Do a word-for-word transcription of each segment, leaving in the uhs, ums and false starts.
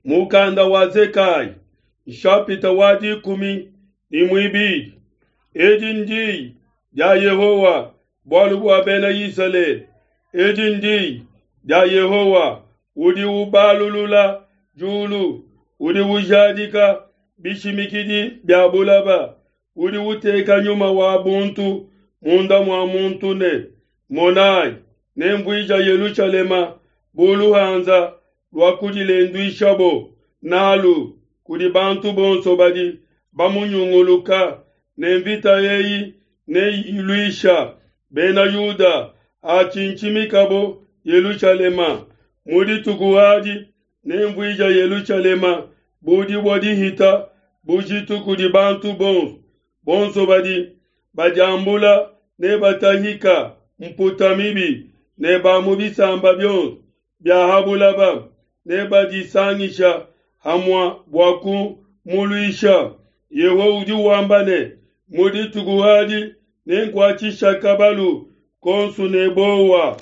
Mukanda wa Zekaya, nshapita wa dikumi ne muibidi. Edi ndiyi dia Yehowa bualu bua bena Isalele. Edi ndiyi dia Yehowa udi ubalulula diulu, udi ujadika bishimikidi bia bulaba, udi uteka nyuma wa buntu munda mua muntu ne, Monayi, nemvuija Yelushalema bu luhanza lua kudilenduishabo nalu kudi bantu bonso badi bamunyunguluka, ne mvita eyi neyiluisha bena Yuda hatshintshimikabo Yelushalema. Mu dituku adi nenvuija Yelushalema bu dibue dihita bujitu kudi bantu bonso. Bonso badi badiambula nebatahika mputa mibi, ne ba mu bisamba bionso bia ha bulaba nebadisangisha hamue bua kumuluisha. Yehowa udi wamba ne, mu dituku adi nenkuatshisha kabalu konso ne bowa,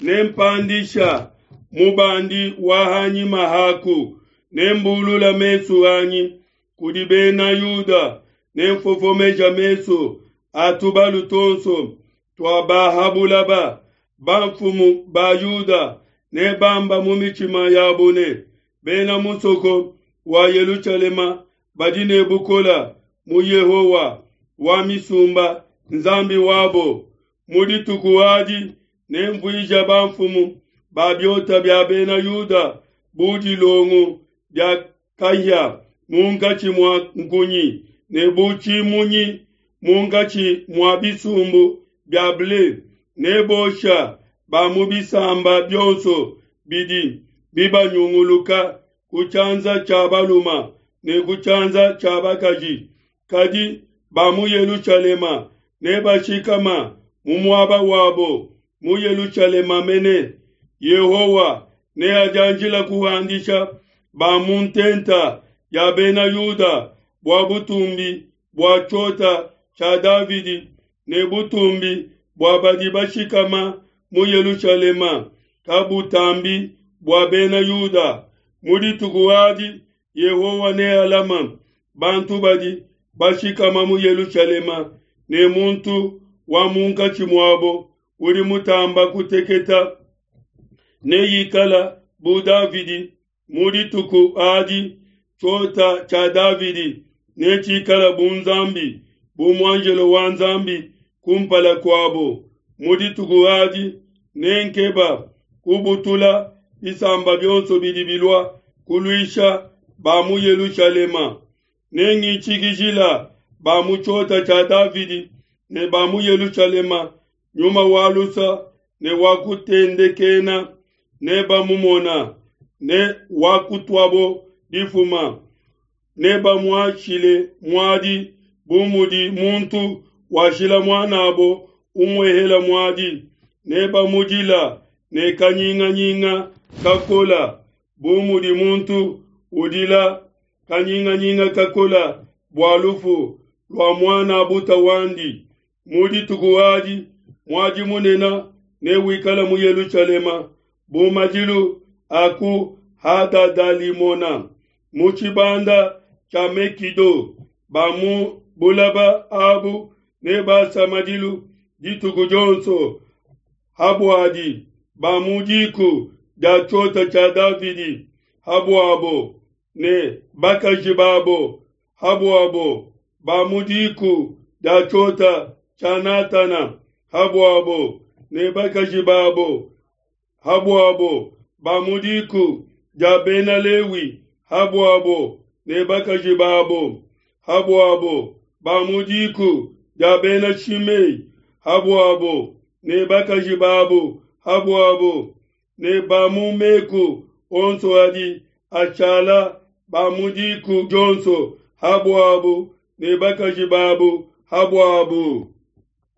nempandisha mubandi wa hanyima haku, nembulula mesu anyi kudi bena Yuda, nenfofomeja mesu a tubalu tuonso tua ba ha bulaba. Bamfumu ba Yuda nebamba mu mitshima yabo ne, bena musoko wa Yelushalema badi ne bukole mu Yehowa wa misumba, Nzambi wabo. Mu dituku adi nenvuija bamfumu ba biota bia bena Yuda bu dilongo dia kahia munkatshi mua nkunyi, ne bu tshimunyi munkatshi mua bisumbu bia ble. Nebosha ba mu bisamba bionso bidi bibanyunguluka ku tshianza tshia balume ne ku tshianza tshia bakaji. Kadi ba mu Yelushalema nebashikama mu muaba wabo mu Yelushalema mene. Yehowa neadianjila kuhandisha ba mu ntenta ya bena Yuda bua butumbi bua tshiota tshia Davidi ne butumbi bua badi bashikama mu Yelushalema kabutambi bua bena Yuda. Mu dituku adi Yehowa nealama bantu badi bashikama mu Yelushalema, ne muntu wa munkatshi muabo udi mutamba kuteketa neikala bu Davidi. Mu dituku adi tshiota tshia Davidi netshikala bu Nzambi, bu muanjelo wa Nzambi kumpala kuabo. Mu dituku adi nenkeba kubutula bisamba bionso bidi bilua kuluisha ba mu Yelushalema. Nengitshikijila ba mu tshiota tshia Davidi ne ba mu Yelushalema nyuma wa lusa ne wa kutendekena, nebamumona ne wakutuabo difuma, nebamuashile muadi bu mudi muntu washila muanabo umuehela muadi, nebamudila ne kanyinganyinga kakola bu mudi muntu udila kanyinganyinga kakola bua lufu lua muana buta wandi. Mu dituku adi muadi munene newikale mu Yelushalema bu madilu a ku Hadadalimona mu tshibanda tshia Mekido. Ba mu bulaba abu nebasa madilu dituku dionso habuadi ba mu diku dia tshiota tshia Davidi habuabo ne bakaji babo habuabo ba mu diku dia tshiota tshia Natana habuabo ne bakaji babo habuabo ba mu diku dia bena Lewi habuabo ne bakaji babo habuabo ba mu diku dia bena Shimei habuabo ne bakaji babo habuabo ne ba mu meku onso adi ashala ba mu diku dionso habuabo ne bakaji babo habuabo.